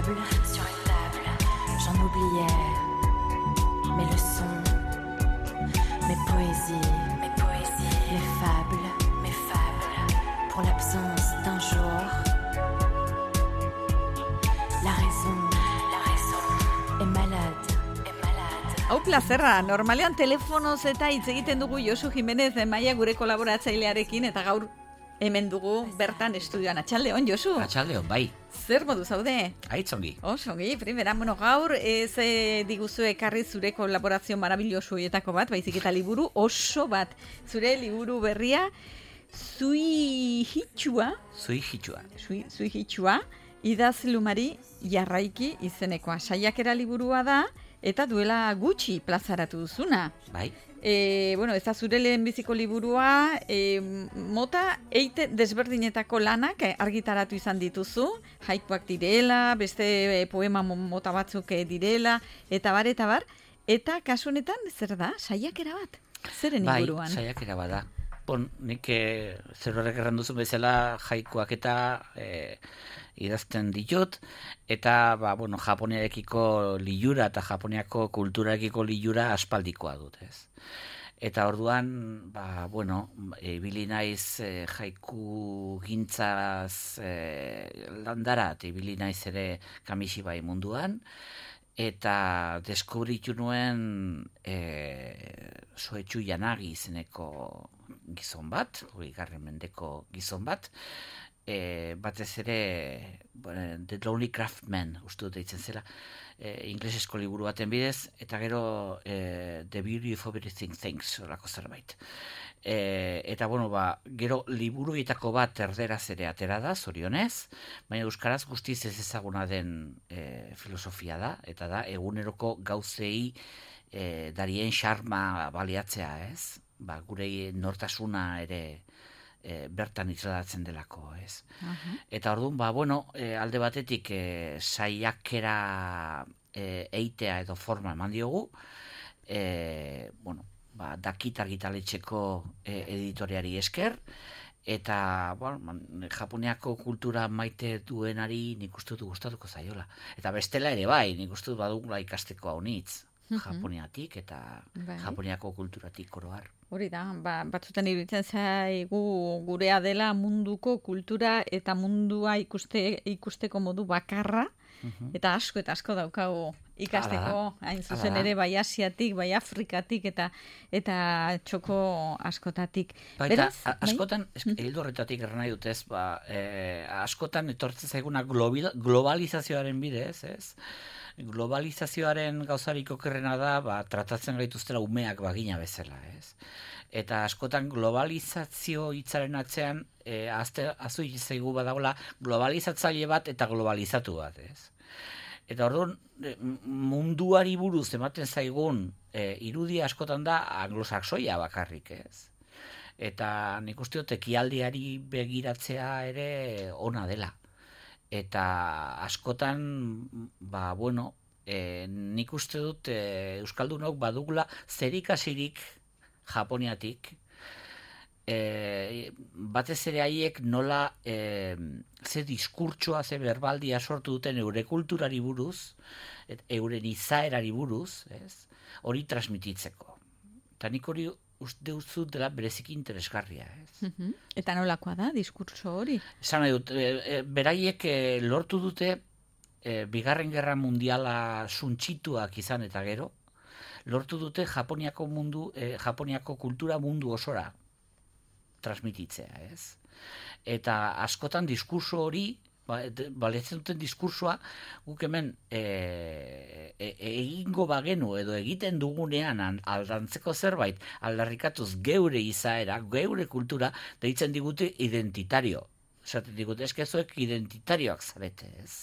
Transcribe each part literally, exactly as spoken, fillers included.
table, sur une table, j'en oubliais mes leçons, mes poésies, mes poésies, mes fables, mes fables, pour l'absence d'un jour. La raison, la raison est malade, est malade. Hau plazerra, normalean telefonoz eta hitz egiten dugu Josu Jimenez Maia gure kolaboratzailearekin, eta gaur hemen dugu bertan estudioan. Atxaldeon, Josu? Atxaldeon, bai. Zer modu zaude? Aitzongi. Osongi, primera, bueno, gaur ez e, diguzu ekarri zure kolaborazio marabilloso horietako bat, baizik eta liburu oso bat. Zure liburu berria, Zui Hitxua, Zui hitxua. Zui, Zui Hitxua, idazlumari jarraiki izenekoa. Saiakera liburua da, eta duela gutxi plazaratu duzuna. Bai. E, bueno, ez da zure lehenbiziko liburua, e, mota eite desberdinetako lanak argitaratu izan dituzu, haikuak direla, beste poema mota batzuk direla, eta bar, eta bar, eta kasu honetan zer da, saiakera bat? Zeren inguruan? Bai, saiakera bat da. Bon, nik e, zer horrek erran duzun bezala haikuak eta e, idazten ditut, eta ba, bueno, Japoniarekiko lilura eta Japoniako kulturarekiko lilura aspaldikoa dut, ez. Eta orduan, ba, bueno, ibili naiz e, haiku gintzaz e, landara, eta ibili naiz ere Kamishibai munduan, eta deskubritu nuen e, Soetsu Yanagi izeneko gizon bat, hori garren mendeko gizon bat, E, batez ere bueno, The Lonely Craftsman uste dut eitzen zela, e, inglesezko liburu baten bidez, eta gero e, The Beauty of Everything Things horako zerbait. E, eta bueno, ba, gero liburuetako bat erderaz ere atera da, zorionez, baina euskaraz guztiz ez ezaguna den e, filosofia da, eta da eguneroko gauzei e, darien xarma baliatzea, ez? Ba, gure nortasuna ere E, bertan itzadatzen delako, ez. Uh-huh. Eta orduan, ba, bueno, e, alde batetik e, saiakera e, eitea edo forma eman diogu, e, bueno, ba, Dakit argitaletxeko e, editoriari esker, eta, bueno, man, Japoniako kultura maite duenari nik uste dut gustatuko zaiola. Eta bestela ere bai, nik uste dut badugula ikasteko haunitz, uh-huh. Japoniatik eta bai. Japoniako kulturatik oroar. Hori da, ba, batzutan iruditzen zaigu gurea dela munduko kultura eta mundua ikuste, ikusteko modu bakarra, uh-huh. eta asko eta asko daukagu ikasteko, hain zuzen ere bai Asiatik, bai Afrikatik eta eta txoko askotatik. Ba, eta Beraz, askotan, bai? Hildo horretatik erran nahi dutez, ba, e, askotan etortzen zaiguna globalizazioaren bidez, ez? Globalizazioaren gauzarik okerrena da, ba, tratatzen gaituztela umeak bagina bezala, ez? Eta askotan globalizazio hitzaren atzean, e, azte, azu zaigu badagoela globalizatzaile bat eta globalizatu bat, ez? Eta orduan, munduari buruz ematen zaigun e, irudia askotan da anglosaxoia bakarrik, ez? Eta nik uste dut ekialdeari begiratzea ere ona dela. Eta askotan, ba, bueno, e, nik uste dut e, Euskaldunok badugula zerikasirik Japoniatik, e, batez ere haiek nola e, ze diskurtsoa, ze berbaldia sortu duten eure kulturari buruz, et, euren izaerari buruz, ez, hori transmititzeko. Eta nik hori uste duzu dela bereziki interesgarria, ez? Uh-huh. Eta nolakoa da, diskurtso hori? Esan nahi dut, e, e, beraiek e, lortu dute e, Bigarren Gerra Mundiala suntsituak izan eta gero, lortu dute Japoniako mundu, e, Japoniako kultura mundu osora transmititzea, ez? Eta askotan diskurso hori, baletzen duten diskursoa, guk hemen e, e, egingo bagenu edo egiten dugunean aldantzeko zerbait, aldarrikatuz geure izaera, geure kultura, deitzen digute identitario. Zaten digute, eskezoek identitarioak zarete, ez?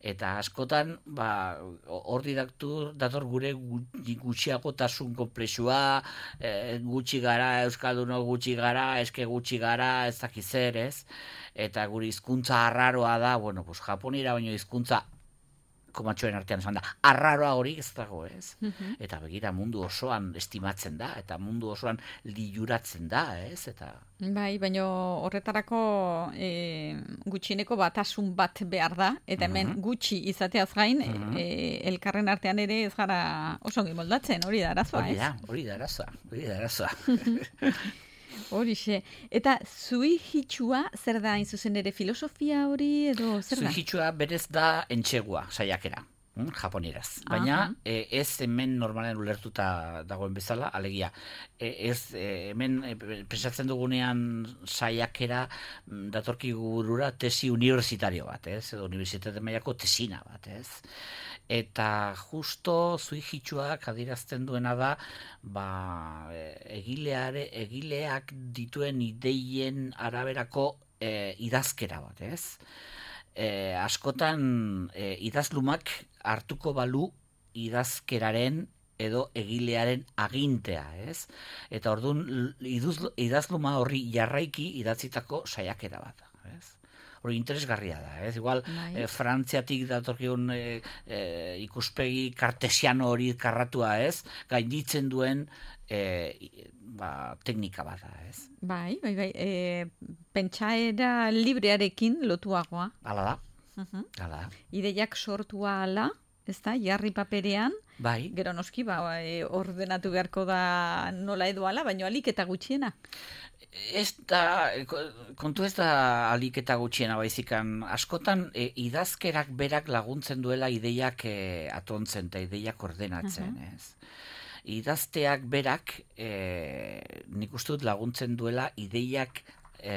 Eta askotan, ba, hor didaktu dator gure gutxiagotasun konplexua, e, gutxi gara, euskaldunok gutxi gara, eske gutxi gara, ez dakiz zer, ez? Eta gure hizkuntza arraroa da, bueno, pues Japonira baino hizkuntza komatxoen artean esan da, arraroa hori ez dago, ez? Eta begira mundu osoan estimatzen da, eta mundu osoan liluratzen da, ez? Eta... Bai, baina horretarako e, gutxieneko batasun bat behar da, eta hemen uh-huh. gutxi izateaz gain, uh-huh. e, elkarren artean ere ez gara oso ongi moldatzen, hori da arazoa, ez? Hori da, hori da arazoa, hori da arazoa. Horixe. Eta zui hitxua, zer da hain zuzen ere filosofia hori edo zer da? Zui hitxua berez da entxegua, saiakera, hm, japonieraz. Baina e, ez hemen normalen ulertuta dagoen bezala, alegia. E, ez e, hemen e, presatzen dugunean saiakera datorki burura tesi universitario bat, ez? Edo unibertsitate mailako tesina bat, ez? Eta justo zui hitxuak adierazten duena da ba, egileare, egileak dituen ideien araberako e, idazkera bat, ez? E, askotan e, idazlumak hartuko balu idazkeraren edo egilearen agintea, ez? Eta orduan idazluma horri jarraiki idatzitako saiakera bat, ez? Hori interesgarria da, ez? Igual, e, Frantziatik datorkigun e, e, ikuspegi kartesiano hori karratua, ez? Gainditzen duen e, ba, teknika bat da, ez? Bai, bai, bai. E, pentsaera librearekin lotuagoa. Hala da, uh-huh. hala da. Ideiak sortua ala, ez da, jarri paperean. Bai. Gero noski, ba, e, ordenatu beharko da nola edo ala, baina alik eta gutxiena. Ez da, kontu ez da alik eta gutxiena baizikan, askotan e, idazkerak berak laguntzen duela ideiak e, atontzen eta ideiak ordenatzen, uh-huh. ez? Idazteak berak e, nik uste dut laguntzen duela ideiak e,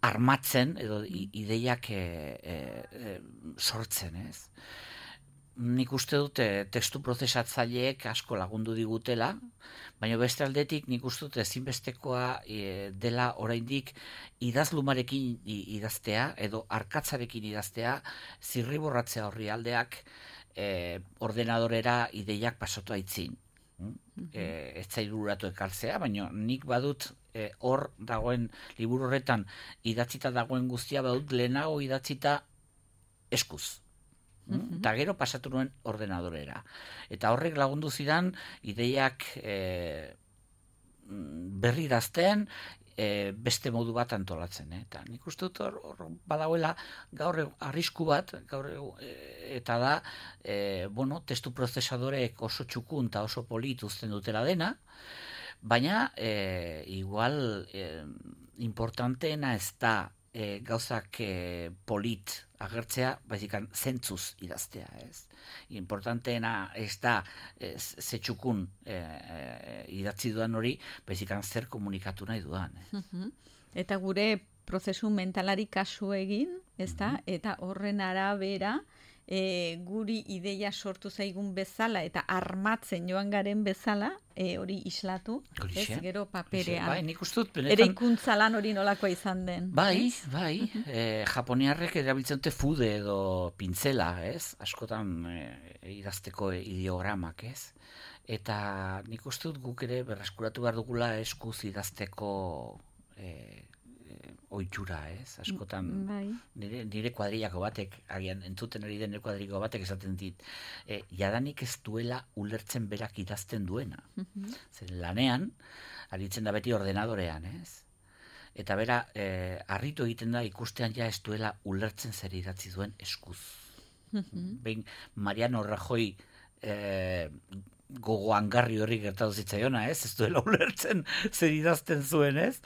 armatzen edo ideiak e, e, e, sortzen, ez? Nik uste dute testu prozesatzaileek asko lagundu digutela, baina beste aldetik nik uste dute ezinbestekoa e, dela oraindik idazlumarekin idaztea edo arkatzarekin idaztea, zirriborratzea horri aldeak e, ordenadorera ideiak pasatu aitzin. Mm-hmm. E, ez zailuratu ekartzea, baina nik badut e, hor dagoen liburu horretan idatzita dagoen guztia badut lehenago idatzita eskuz. Mm-hmm. Eta gero pasatu nuen ordenadorera. Eta horrek lagundu zidan ideiak e, berri dazten, e, beste modu bat antolatzen. Eh? Eta nik uste dut hor, hor badagoela gaur arrisku bat, gaur e, eta da, e, bueno, testu prozesadoreek oso txukun eta oso polit uzten dutela dena, baina e, igual e, importanteena ez da e, gauzak e, polit agertzea, baizikan zentzuz idaztea, ez? Importanteena ez da e, zetxukun e, e, idatzi duan hori, baizikan zer komunikatu nahi duan. Eh? Uh-huh. Eta gure prozesu mentalari kasu egin, ez da? Uh-huh. Eta horren arabera, e, guri ideia sortu zaigun bezala eta armatzen joan garen bezala, e, hori islatu, ez gero paperean. Bai, nik uste dut benetan... Ere ikuntza lan hori nolakoa izan den. Bai, ez? bai. e, Japoniarrek erabiltzen dute fude edo pintzela, ez? Askotan e, idazteko ideogramak, ez? Eta nik uste dut guk ere berreskuratu behar dugula eskuz idazteko... E, oitxura, ez? Askotan bai. nire, nire kuadrillako batek, agian entzuten ari den kuadrillako batek esaten dit, e, jadanik ez duela ulertzen berak idazten duena. Uh-huh. Zer lanean, aritzen da beti ordenadorean, ez? Eta bera, e, harritu egiten da ikustean ja ez duela ulertzen zer idatzi duen eskuz. Uh-huh. Behin, Mariano Rajoy e, gogoangarri horri gertatu zitzaiona, ez? Ez duela ulertzen zer idazten zuen, ez?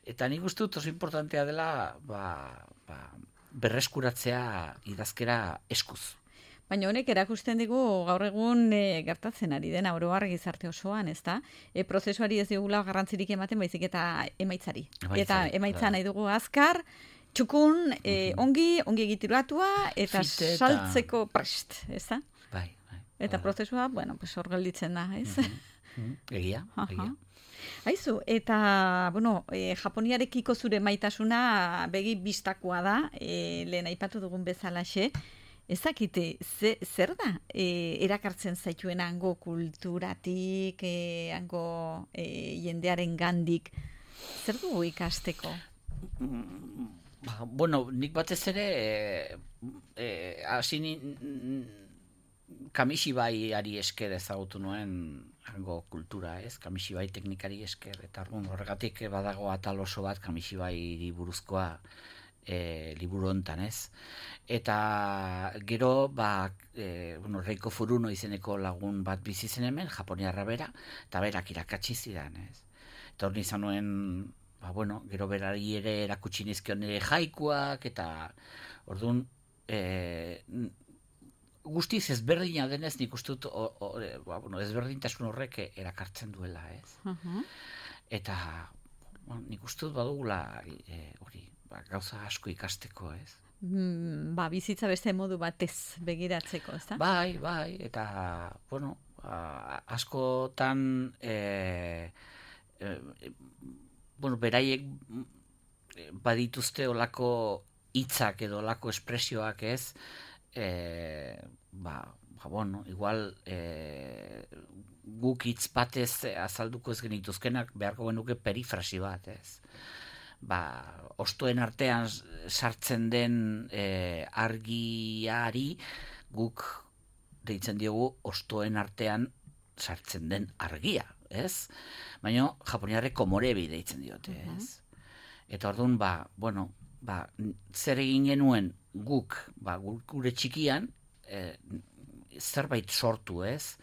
Eta nik uste dut oso importantea dela ba, ba, berreskuratzea idazkera eskuz. Baina honek erakusten digu gaur egun e, gertatzen ari den oro har gizarte osoan, ezta? E, prozesuari ez digula garrantzirik ematen, baizik eta emaitzari. Emaitzari eta emaitza nahi dugu azkar, txukun, e, ongi, ongi egituratua eta Fite saltzeko eta... prest, ezta? Bai. Eta prozesua, bueno, pues hor gelditzen da, ez? Mm-hmm. Egia, egia. Aizu, eta, bueno, e, Japoniarekiko zure maitasuna begi bistakoa da, e, lehen aipatu dugun bezalaxe, ezakite, ze, zer da e, erakartzen zaituen hango kulturatik, e, hango e, jendearen gandik, zer dugu ikasteko? Ba, bueno, nik batez ere eh, hasi eh, Kamishibai-ari esker ezagutu nuen hango kultura, ez? Kamishibai teknikari esker, eta orduan horregatik badago atal oso bat Kamishibai buruzkoa e, liburu hontan, ez? Eta gero, ba, e, bueno, Reiko Furuno izeneko lagun bat bizi zen hemen, japoniarra bera, eta berak irakatsi zidan, ez? Eta hori izan nuen, ba, bueno, gero berari ere erakutsi nizkion ere jaikuak, eta orduan, e, guztiz ezberdina denez nik uste dut ba, bueno, ezberdintasun horrek erakartzen duela, ez? Uh-huh. Eta bueno, nik uste dut badugula e, hori, ba, gauza asko ikasteko, ez? Mm, ba, bizitza beste modu batez begiratzeko, ez da? Bai, bai, eta bueno, a, askotan e, e, bueno, beraiek badituzte olako hitzak edo olako espresioak, ez? E, ba, ba, bueno, igual e, guk hitz batez azalduko ez genituzkenak beharko genuke perifrasi bat, ez? Ba, ostoen artean sartzen den e, argiari guk deitzen diogu ostoen artean sartzen den argia, ez? Baina japoniarrek komorebi deitzen diote, ez? Eta orduan, ba, bueno, ba, zer egin genuen guk, ba, gure txikian, e, zerbait sortu, ez?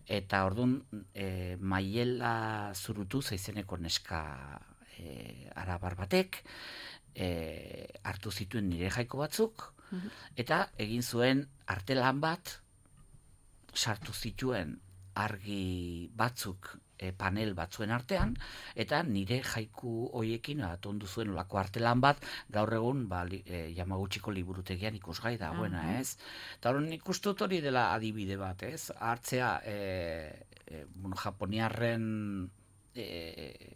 Eta orduan, e, Maiela Zurutu zaizeneko neska e, arabar batek, e, hartu zituen nire jaiko batzuk, eta egin zuen artelan bat, sartu zituen argi batzuk e, panel batzuen artean, eta nire jaiku hoiekin atondu zuen olako artelan bat, gaur egun ba, li, e, Yamaguchiko liburutegian ikusgai dagoena, uh-huh. ez? Eta hori nik uste dut hori dela adibide bat, ez? Hartzea, e, e, bueno, japoniarren e,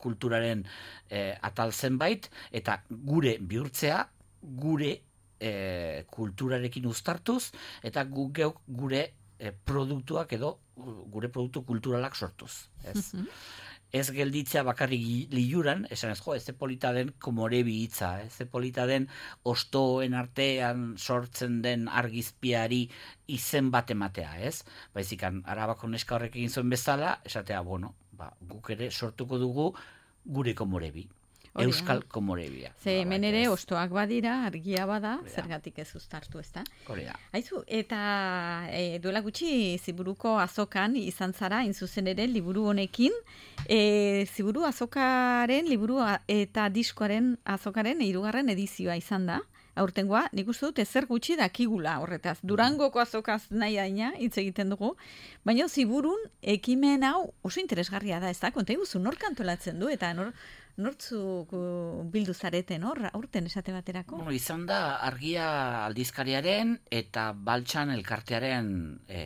kulturaren e, atal zenbait, eta gure bihurtzea, gure e, kulturarekin uztartuz, eta gu, geuk gure produktuak edo gure produktu kulturalak sortuz, ez? Mm-hmm. Ez gelditzea bakarrik liuran, esan ez, jo, ez polita den komorebi hitza, ez polita den ostoen artean sortzen den argizpiari izen bat ematea, ez? Baizikan, Arabako neska horrek egin zuen bezala, esatea, bueno, ba, guk ere sortuko dugu gure komorebi. Hori, Euskal komorebia. Ze hemen ere ostoak badira, argia bada, Hori, zergatik ez uztartu, ez da? Hori da. Aizu, eta e, duela gutxi Ziburuko azokan izan zara, inzuzen ere, liburu honekin. E, Ziburu azokaren, liburu eta diskoaren azokaren hirugarren edizioa izan da. Aurtengoa, nik uste dut ezer gutxi dakigula horretaz. Durangoko azokaz nahi daina, hitz egiten dugu. Baina Ziburun ekimen hau oso interesgarria da, ez da? Konta iguzu, nor kantolatzen du, eta nor... Nortzuk bildu zareten hor, aurten esate baterako? Bueno, izan da argia aldizkariaren eta Baltsan elkartearen e,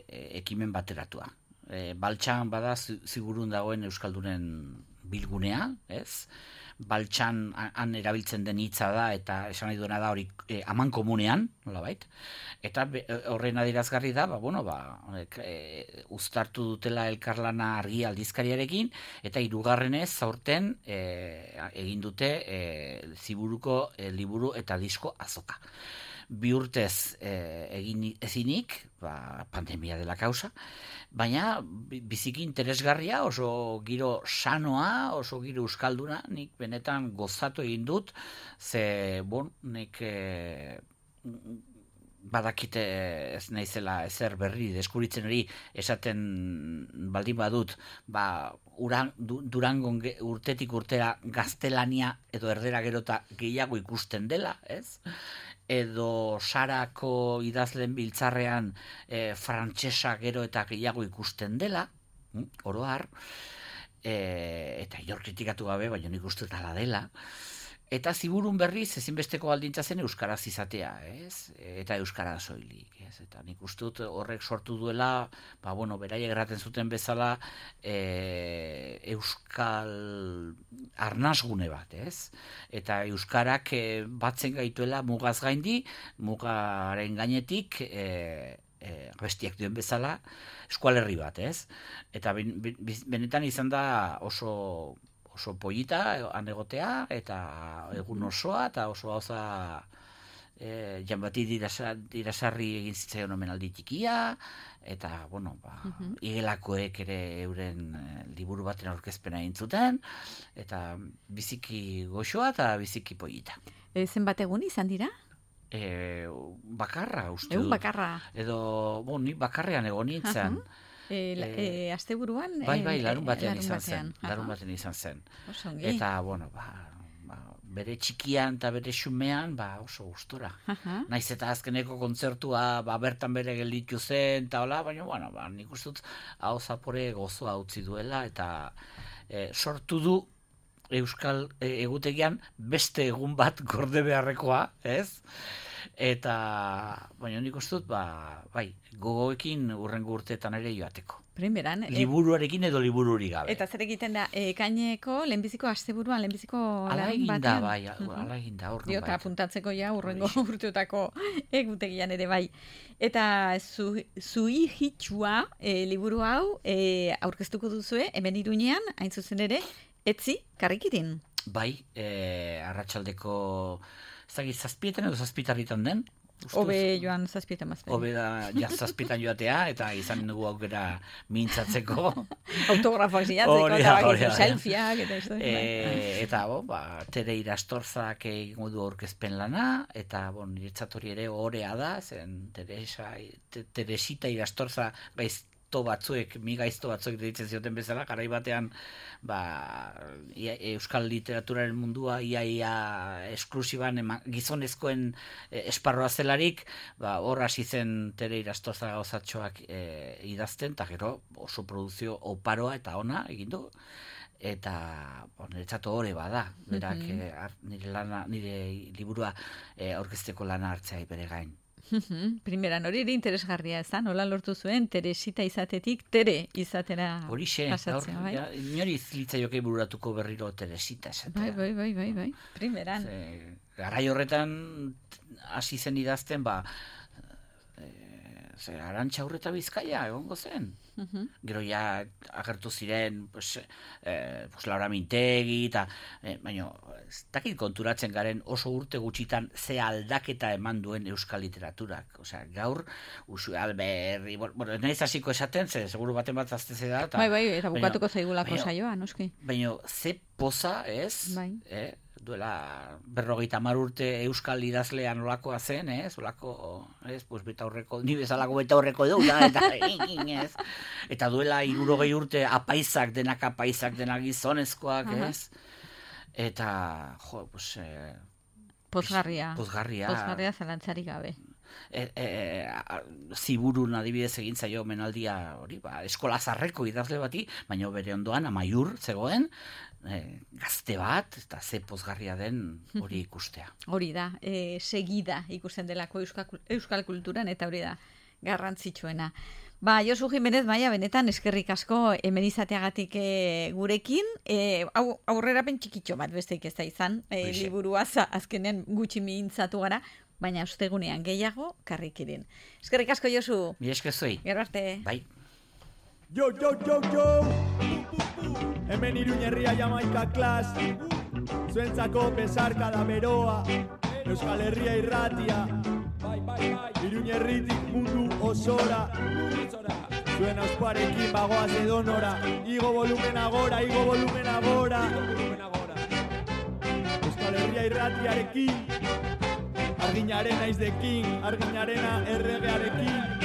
e, ekimen bateratua. E, Baltsan bada Ziburun dagoen euskaldunen bilgunea, ez? Baltsan han erabiltzen den hitza da eta esan nahi duena da hori e, aman komunean, nolabait. Eta be, horren adierazgarri da, ba, bueno, ba, e, uztartu dutela elkarlana argi aldizkariarekin, eta hirugarrenez aurten e, egin dute e, Ziburuko e, liburu eta disko azoka. Bi urtez e, egin ezinik, ba, pandemia dela kausa, baina biziki interesgarria, oso giro sanoa, oso giro euskalduna, nik benetan gozatu egin dut, ze, bon, nik e, badakite ez naizela ezer berri deskuritzen hori esaten baldin badut, ba, uran, du, Durangon urtetik urtera gaztelania edo erdera gerota gehiago ikusten dela, ez? Edo Sarako idazlen biltzarrean e, frantsesa gero eta gehiago ikusten dela, oro har, e, eta inor kritikatu gabe, baina nik uste dela dela. Eta Ziburun berriz ezinbesteko baldintza zen euskaraz izatea, ez? Eta euskara soilik, ez? Eta nik uste dut horrek sortu duela, ba bueno, beraiek erraten zuten bezala, e, euskal arnasgune bat, ez? Eta euskarak e, batzen gaituela mugaz gaindi, mugaren gainetik, e, e, bestiak duen bezala, eskualerri bat, ez? Eta ben, ben, benetan izan da oso oso polita han egotea, eta egun osoa, eta oso gauza e, Jan Bati Dirasarri egin zitzaion omenaldi txikia, eta, bueno, ba, uh-huh. igelakoek ere euren e, liburu baten aurkezpena egin zuten, eta biziki goxoa eta biziki polita. E, zenbat egun izan dira? E, bakarra, uste Egun bakarra. Edo, bo, ni bakarrean egon nintzen. Uh-huh. E, e, e, Aste buruan? Bai, bai, larun e, batean larun izan batean. zen. Larun batean izan zen. Osongi. Eta, bueno, ba, ba, bere txikian eta bere xumean, ba, oso gustora. Uh-huh. Naiz eta azkeneko kontzertua, ba, bertan bere gelditu zen, eta hola, baina, bueno, ba, nik uste dut, hau zapore gozoa utzi duela, eta e, sortu du Euskal e, egutegian beste egun bat gorde beharrekoa, ez? Eta, baina nik uste dut, ba, bai, gogoekin urrengo urteetan ere joateko. Primeran. Liburuarekin edo libururi gabe. Eta zer egiten da, ekaineko, lehenbiziko asteburuan, lehenbiziko ala lan egin da, batean? bai, ala egin da, orduan bai. Diota, apuntatzeko ja, urrengo urteotako egutegian ere bai. Eta zu, zui hitxua e, liburu hau e, aurkeztuko duzue, hemen Iruñean, hain zuzen ere, etzi, karrikitin. Bai, e, arratsaldeko zagit zazpietan edo zazpitarritan den. Obe joan zazpietan mazpen. Obe da ja zazpietan joatea, eta izan dugu aukera mintzatzeko. Autografoak zilatzeko, eta bakitzu selfieak, eta ez e, Eta, bo, ba, Tere Irastorzak egingo du aurkezpen lana, eta, bon, niretzat hori ere orea da, zen Teresa, Teresita Irastorza gaiz batzuek, mi gaizto batzuek deitzen zioten bezala, garai batean ba, ia, euskal literaturaren mundua ia ia esklusiban ema, gizonezkoen e, esparroa zelarik, ba, hor hasi zen Tere Irastoza gauzatxoak e, idazten, eta gero oso produzio oparoa eta ona egin du, eta bon, niretzat hori bada, berak mm-hmm. e, nire, lana, nire liburua e, aurkezteko lana hartzea bere gain. Primeran, hori ere interesgarria ezan, nola lortu zuen, Teresita izatetik, Tere izatera pasatzea, bai? Inori zilitza jokei bururatuko berriro Teresita esatea. Bai, bai, bai, bai, bai, primeran. Ze, garai horretan hasi zen idazten, ba, e, ze, Arantxa Urreta Bizkaia egongo zen. Uh-huh. Gero ja agertu ziren pues, eh, pues Laura Mintegi eta eh, baina ez dakit konturatzen garen oso urte gutxitan ze aldaketa eman duen euskal literaturak. Osea, gaur Usu Alberri, bueno, naiz hasiko esaten, ze seguru baten bat azteze da. Bai, bai, eta bukatuko zaigulako saioa, noski. Baina ze poza, ez? Bai. Eh? Duela berrogeita hamar urte euskal idazlean olakoa zen, ez? Olako, ez? Pues beta horreko, ni bezalako beta horreko dugu, eta ez? Eta duela hirurogei urte apaisak, denak apaisak, denak gizonezkoak, ez? Eta, jo, pues... Eh, pozgarria. Pozgarria. Pozgarria zalantzarik gabe. E, e, ziburun adibidez egin zaio menaldia hori, ba, eskola zarreko idazle bati, baina bere ondoan amaiur zegoen, e, gazte bat, eta ze pozgarria den hori ikustea. Hori da, e, segida ikusten delako euskal, euskal kulturan, eta hori da garrantzitsuena. Ba, Josu Jimenez, Maia, benetan eskerrik asko hemen izateagatik e, gurekin, e, au, aurrerapen txikitxo bat besteik ez da izan, e, liburua azkenen gutxi mintzatu gara, baina ostegunean gehiago karrikirin. Eskerrik asko, Josu. Mi eskezoi. Gero arte. Bai. Jo, jo, jo, jo! Hemen Iruñerria Jamaika klas, zuentzako besarka da beroa, Euskal Herria irratia, Iruñerritik mundu osora, zuen ausparekin bagoaz edonora, igo volumen agora, igo volumen agora, Euskal Herria irratiarekin, arginaren naizdekin, arginarena erregearekin,